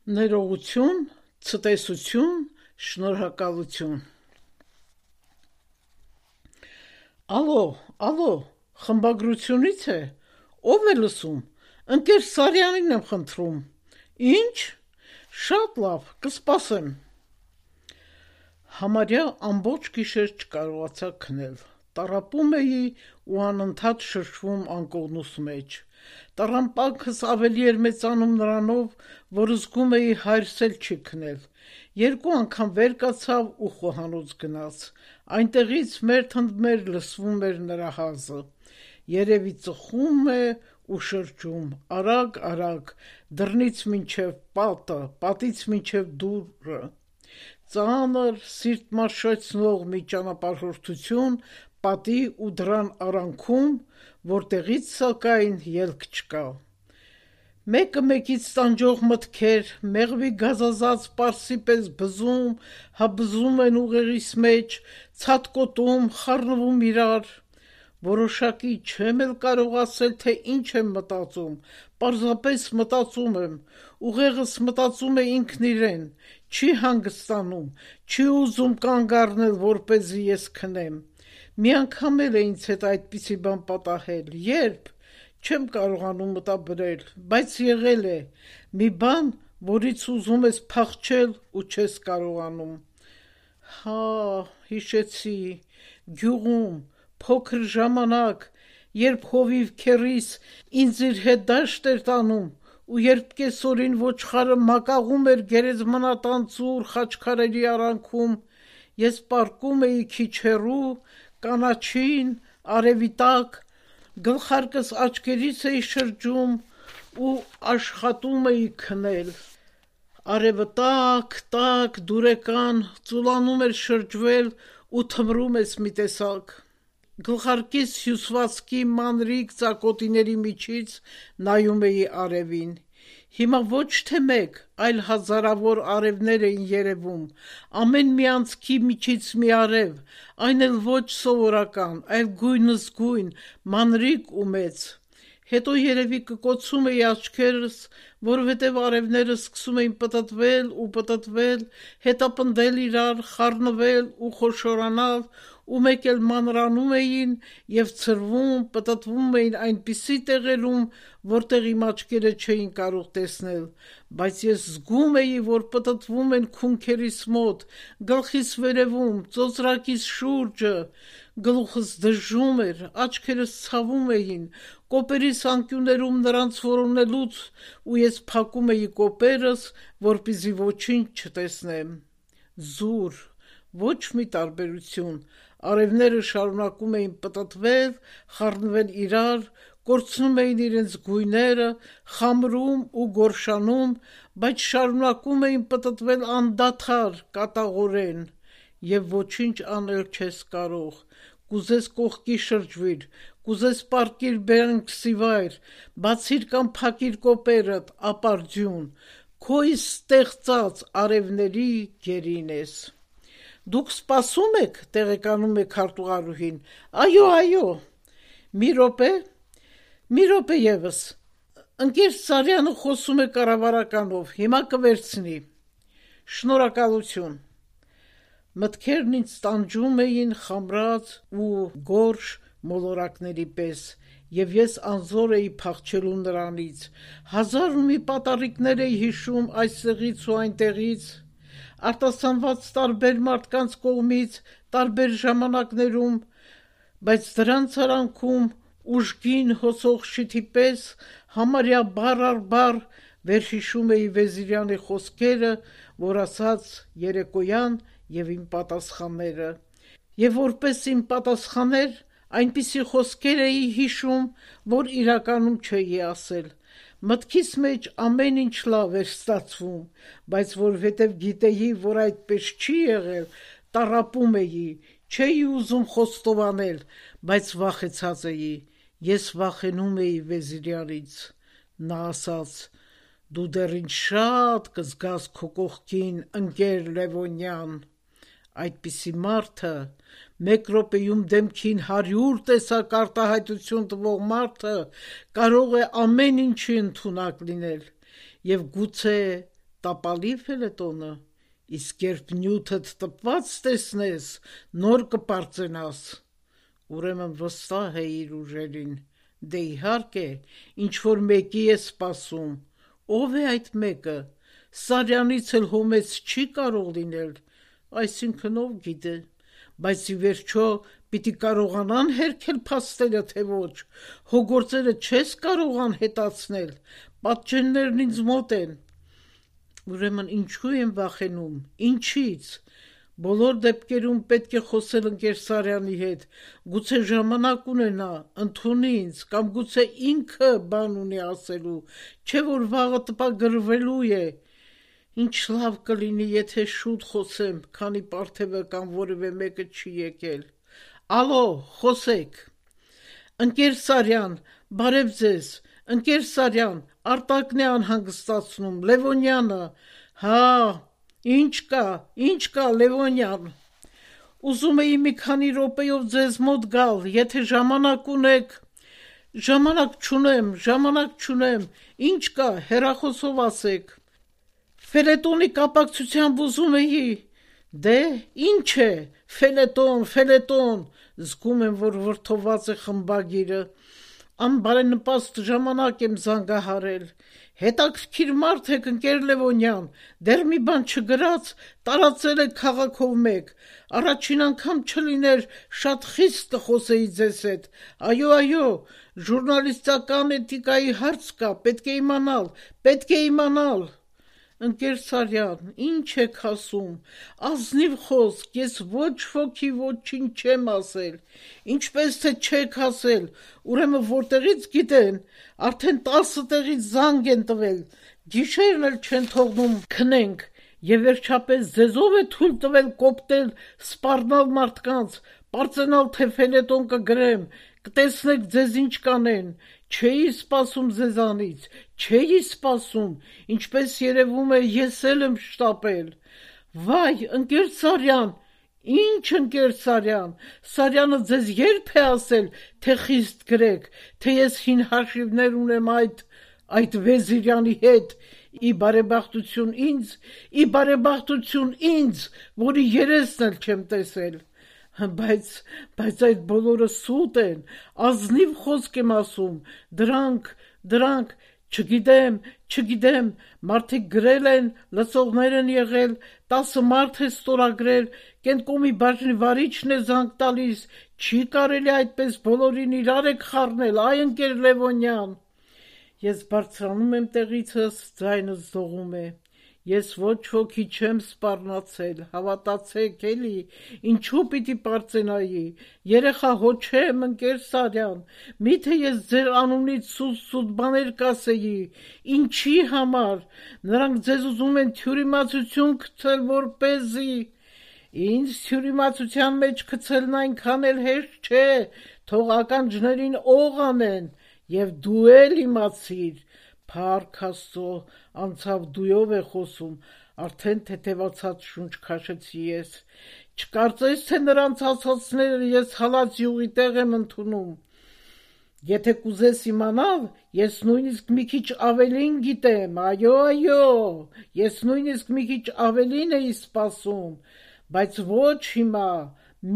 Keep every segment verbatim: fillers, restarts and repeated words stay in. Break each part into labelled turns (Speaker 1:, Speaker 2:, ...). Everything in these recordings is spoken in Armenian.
Speaker 1: Ներողություն, ցտեսություն, շնորհակալություն։ Ալո, ալո, խմբագրությունից է, ով է լսում, ընկեր Սարյանին եմ խնդրում, ինչ, շատ լավ, կսպասեմ։ Համարյա ամբողջ գիշեր չկարողացա քնել, տառապում էի ու անընդհատ շրջվում անկողնուս մեջ, տառամպանքս ավելի էր մեծանում նրանով, որ զգում էի հայրս էլ չի քնել, երկու անգամ վեր կացավ ու խոհանոց գնաց, այնտեղից մերթ ընդ մեր լսվում էր նրա հազը, երևի ծխում է ու շրջում, արագ, արագ, դռնից մինչև պատը, պատից մինչև դուռը, ծանր, սիրտ մաշեցնող մի ճանապարհորդություն պատի ու դռան արանքում, որտեղից սակայն ելք չկա։ Մեկը մեկից տանջող մտքեր, մեղվի գազազած պարսի պես բզում, հա բզում են ուղեղիս մեջ, ցատկոտում, խառնվում իրար, որոշակի չեմ էլ կարող ասել, թե ինչ եմ մտածում, պարզապես մտածում եմ, ուղեղս մտածում է ինքն իրեն, չի հանգստանում, չի ուզում կանգ առնել, որպեսզի ես քնեմ, մի անգամ էլ է ինձ հետ այդպիսի բան պատահել, երբ, չեմ կարողանում մտաբերել, բայց եղել է, մի բան, որից ուզում ես փախչել ու չես կարողանում։ Հա, հիշեցի, գյուղում, փոքր ժամանակ, երբ հովիվ քեռիս ինձ իր հետ դաշտ էր տանում, ու երբ կեսօրին ոչխարը մակաղում էր գերեզմանատան ծուռ խաչքարերի արանքում, ես պառկում էի քիչ հեռու, կանաչին, արևի տակ, գլխարկս աչքերիս էի շրջում ու աշխատում էի քնել։ Արևը տաք, տաք, դուրեկան, ծուլանում էր շրջվել ու թմրում ես մի տեսակ։ Գլխարկիս հյուսվածքի մանրիկ ծակոտիների միջից նայում էի արևին։ Հիմա ոչ թե մեկ, այլ հազարավոր արևներ էին երևում, ամեն մի անցքի միջից մի արև, այն էլ ոչ սովորական, այլ գույնզգույն, մանրիկ ու մեծ։ Հետո երևի կկոցում էի աչքերս, որովհետև արևները սկսում էին պտտվել ու պտտվել, հետապնդել իրար, խառնվել ու խոշորանալ, ու մեկ էլ մանրանում էին և ցրվում, պտտվում էին այնպիսի տեղերում, որտեղ իմ աչքերը չէին կարող տեսնել, բայց ես զգում էի, որ պտտվում են քունքերիս մոտ, գլխիս վերևում, ծոծրակիս շուրջը, գլուխս դժում էր, աչքերս ցավում էին, կոպերիս անկյուններում նրանց որոնելուց ու ես փակում էի կոպերս, որպեսզի ոչինչ չտեսնեմ։ Զուր, ոչ մի տարբերություն, արևները շարունակում էին պտտվել, խառնվել իրար, կորցնում էին իրենց գույները, խամրում ու գորշանում, բայց շարունակում էին պտտվել անդադար, կատաղորեն, և ոչինչ անել չես կարող, կուզես կողքի շրջվիր, կուզես պառկիր բերանքսի վայր, բացիր կամ փակիր կոպերդ, ապարդյուն, քո իսկ ստեղծած արևների գերին ես։ Դուք սպասում եք, տեղեկանում է քարտուղարուհին, այո, այո, մի րոպե, մի րոպե ևս, ընկեր Սարյանը խոսում է կառավարականով, հիմա կվերցնի, շնորհակալություն։ Մտքերն ինձ տանջում էին խամրած ու գորշ մոլորակների պես, և ես անզոր էի փախչելու նրանից, հազար ու մի պատառիկներ էի հիշում այստեղից ու այնտեղից, արտասանված տարբեր մարդկանց կողմից, տարբեր ժամանակներում, բայց դրանց արանքում ուժգին հոսող շիթի պես համարյա բառ առ բառ վերհիշում էի Վեզիրյանի խոսքերը, որ ասաց երեկոյան և իմ պատասխանները, և որպես իմ պատասխաներ այնպիսի խոսքեր էի հիշում, որ իրականում չէի ասել, մտքիս մեջ ամեն ինչ լավ էր ստացվում, բայց որովհետև գիտեի, որ այդպես չի եղել, տառապում էի, չէի ուզում խոստովանել, բայց վախեցած էի, ես վախենում էի Վեզիրյանից, նա ասաց, դու դեռ ինձ շատ կզգաս քո կողքին, ընկեր Լևոնյան, այդպիսի մարդը, մեկ րոպեում դեմքին հարյուր տեսակ արտահայտություն տվող մարդը կարող է ամեն ինչի ընդունակ լինել, և գուցե տապալի ֆելետոնը, իսկ երբ նյութդ տպված տեսնես, նոր կպարծենաս։ Ուրեմն վստահ է իր ուժերին, դե իհարկե, ինչ-որ մեկի է սպասում, ով է այդ մեկը, Սարյանից էլ հոմեց չի կարող լինել, այսինքն ով գիտե, բայց ի վերջո պիտի կարողանան հերքել փաստերը, թե ոչ, հո գործերը չես կարող անհետացնել, պատճեններն ինձ մոտ են։ Ուրեմն ինչու եմ վախենում, ինչից, բոլոր դեպքերում պետք է խոսել ընկեր Սարյանի հետ, գուցե ժամանակ ունենա, ընդունի ինձ, կամ գուցե ինքը բան ունի ասելու, չէ որ վաղը տպագրվելու է։ Ինչ լավ կլինի, եթե շուտ խոսեմ, քանի պարթևը կամ որևէ մեկը չի եկել։ Ալո, խոսեք։ Ընկեր Սարյան, բարև ձեզ, ընկեր Սարյան, Արտակն է անհանգստացնում, Լևոնյանը։ Հա, ինչ կա, ինչ կա, Լևոնյան։ Ուզում էի մի քանի րոպեով ձեզ մոտ գալ, եթե ժամանակ ունեք։ Ժամանակ չունեմ, ժամանակ չունեմ, ինչ կա, հեռախոսով ասեք։ Ֆելետոնի կապակցությամբ ուզում էի։ Դե, ինչ է, ֆելետոն, ֆելետոն, զգում եմ, որ վրդոված է խմբագիրը, անբարենպաստ ժամանակ եմ զանգահարել, հետաքրքիր մարդ եք ընկեր Լևոնյան, դեռ մի բան չգրած, տարածել եք քաղաքով մեկ, առաջին անգամ չլիներ, շատ խիստ կխոսեի ձեզ հետ, այո, այո, ժուրնալիստական էթիկայի հարց կա, պետք է իմանալ, պետք է իմանալ։ Ընկեր Սարյան, ինչ եք ասում, ազնիվ խոսք, ես ոչ ոքի ոչինչ չեմ ասել, ինչպես թե չեք ասել, ուրեմն որտեղից գիտեն, արդեն տասը տեղից զանգ են տվել, գիշերն էլ չեն թողնում քնենք, եւ վերջապես ձեզով է թույլ տվել կոպտել, սպառնալ մարդկանց, պարծենալ թե ֆելետոն կգրեմ, կտեսնեք ձեզ ինչ կանեն, չէի սպասում ձեզանից, չէի սպասում, ինչպես երևում է ես էլ եմ շտապել։ Վայ, ընկեր Սարյան, ինչ ընկեր Սարյան, Սարյանը ձեզ երբ է ասել, թե խիստ գրեք, թե ես հին հաշիվներ ունեմ այդ, այդ Վեզիրյանի հետ, ի բարեբախտություն ինձ, ի բարեբախտություն ինձ, որի երեսն էլ չեմ տեսել։ Բայց, բայց այդ բոլորը սուտ են, ազնիվ խոսք եմ ասում, դրանք, դրանք, չգիտեմ, չգիտեմ, մարդիկ գրել են, լսողներ են եղել, տասը մարդ է ստորագրել, Կենտկոմի բաժնի վարիչն է զանգ տալիս, չի կարելի այդպես բոլորին իրար եք խառնել, այ ընկեր Լևոնյան։ Ես բարձրանում եմ տեղիցս, ձայնս դողում է։ Ես ոչ ոքի չեմ սպառնացել, հավատացեք էլի, ինչու պիտի պարծենայի, երեխա հո չեմ, ընկեր Սարյան, միթե ես ձեր անունից սուտ-սուտ բաներ կասեի, ինչի համար, նրանք ձեզ ուզում են թյուրիմացություն գցել, որպեսզի, ինձ թյուրիմացության մեջ գցելն այնքան էլ հեշտ չէ, թող ականջներին օղ անեն, եւ դու էլ իմացիր, Փառք Աստծո, անցավ դույով է խոսում, արդեն թեթևացած շունչ քաշեցի ես, չկարծես, թե նրանց ասածները ես հալած յուղի տեղ եմ ընդունում, եթե կուզես իմանալ, ես նույնիսկ մի քիչ ավելին գիտեմ, այո, այո, ես նույնիսկ մի քիչ ավելին էի սպասում, բայց ոչ հիմա,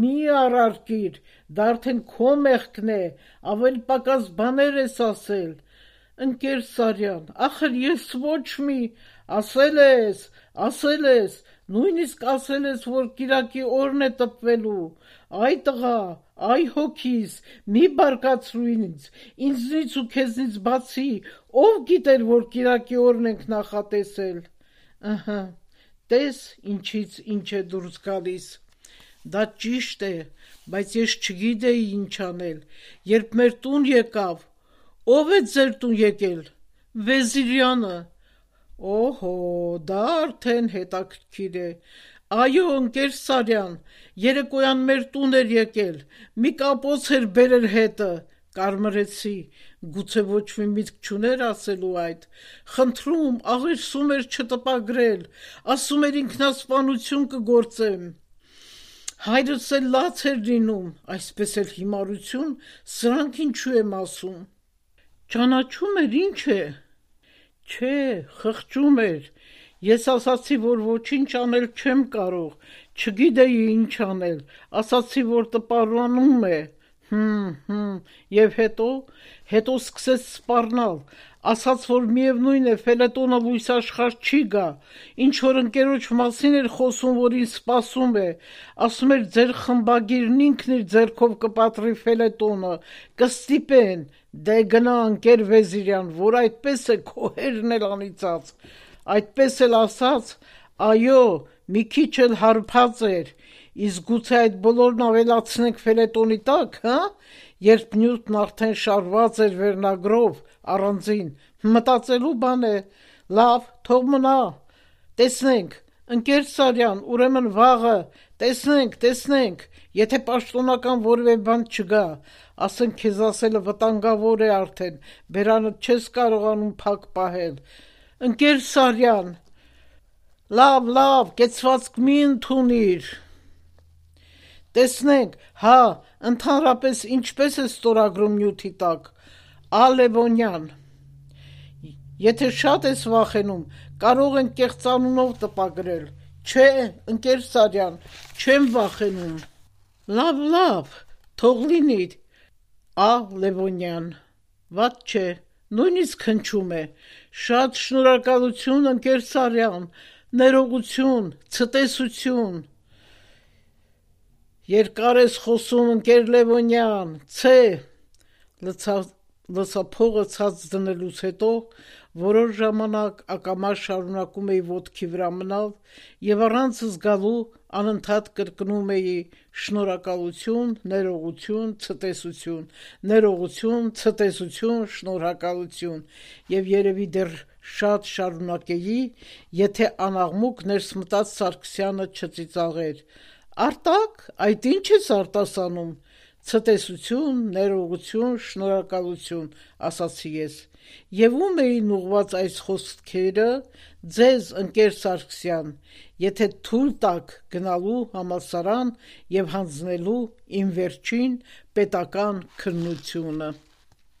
Speaker 1: մի առարկիր, դա արդեն քո մեղքն է, ավելի պակաս բաներ ես ասել, Ընկեր Սարյան, ախր ես ոչ մի, ասել ես, ասել ես, նույնիսկ ասել ես, որ կիրակի օրն է տպվելու, այ տղա, այ հոգիս, մի բարկացրու ինձ, ինձնից ու քեզնից բացի, ով գիտեր, որ կիրակի օրն ենք նախատեսել, ըհը, տես ինչից ինչ է դուրս գալիս, դա ճիշտ է, բայց ես չգիտեի ինչ անել, երբ մեր տուն եկավ, Ով է ձեր տուն եկել, Վեզիրյանը, օհո, դա արդեն հետաքրքիր է, այո, ընկեր Սարյան, երեկոյան մեր տուն էր եկել, մի կապոց էր բերել հետը, կարմրեցի, գուցե ոչ մի միտք չուներ ասելու այդ, խնդրում, աղերսում էր չտպագրել, ասում էր ինքնասպանություն կգործեմ, հայրս էլ լաց էր լինում, այսպես էլ հիմարություն, սրանք ինչու եմ ասում, Ճանաչում էր ինչ է, չէ, խղճում էր, Ես ասացի, որ ոչինչ անել չեմ կարող, չգիտեի ինչ անել, ասացի, որ տպարանում է, հմ, հմ, և հետո, հետո սկսեց սպառնալ, ասաց, որ միևնույն է, ֆելետոնը լույս աշխարհ չի գա, ինչ-որ ընկերոջ մասին էր խոսում, որ ինձ սպասում է, ասում էր, ձեր խմբագիրն ինքն իր ձեռքով կպատրի ֆելետոնը, կստիպեն, դե գնա ընկեր Վեզիրյան, որ այդպես է, քո հերն էլ անիծած, այդպես էլ ասաց, այո, մի քիչ էլ հարբած էր, իսկ գուցե այդ բոլորն ավելացնենք ֆելետոնի տակ, հա, երբ Նյուտն արդեն շարված էր վերնագրով, առանձին, մտածելու բան է, լավ, թող մնա, տեսնենք, ընկեր Սարյան, ուրեմն վաղը, տեսնենք, տեսնենք, եթե պաշտոնական որևէ բան չգա, ասենք քեզ ասելը վտանգավոր է արդեն, բերանդ չես կարողանում փակ պահել, ընկեր Սարյան, լավ, լավ, կեցվածք մի ընդունիր, տեսնենք, հա, ընդհանրապես ինչպես է ստորագրում Նյութի տակ, Ա. Լևոնյան, եթե շատ ես վախենում, կարող ենք կեղծանունով տպագրել, չէ, ընկեր Սարյան, չեմ վախենում, լավ, լավ, թող լինի, Ա. Լևոնյան, վատ չէ, նույնիսկ հնչում է, շատ շնորհակալություն ընկեր Սարյան, ներողություն, ցտեսություն, երկար ես խոսում ընկեր Լևոնյան, ցե, լցափողը ցած դնելուց հետո որոշ ժամանակ ակամա շարունակում էի ոտքի վրա մնալ և առանց զգալու անընդհատ կրկնում էի շնորհակալություն, ներողություն, ցտեսություն, ներողություն, ցտեսություն, շնորհակալություն և երևի դեռ շատ շարունակեի, եթե անաղմուկ ներս մտած Սարգսյանը չծիծաղեր. Արտակ, այդ ինչ ես արտասանում, ցտեսություն, ներողություն, շնորհակալություն, ասացի ես, և ում էին ուղղված այս խոսքերը, ձեզ, ընկեր Սարգսյան, եթե թույլ տաք գնալու համալսարան և հանձնելու իմ վերջին պետական քննությունը: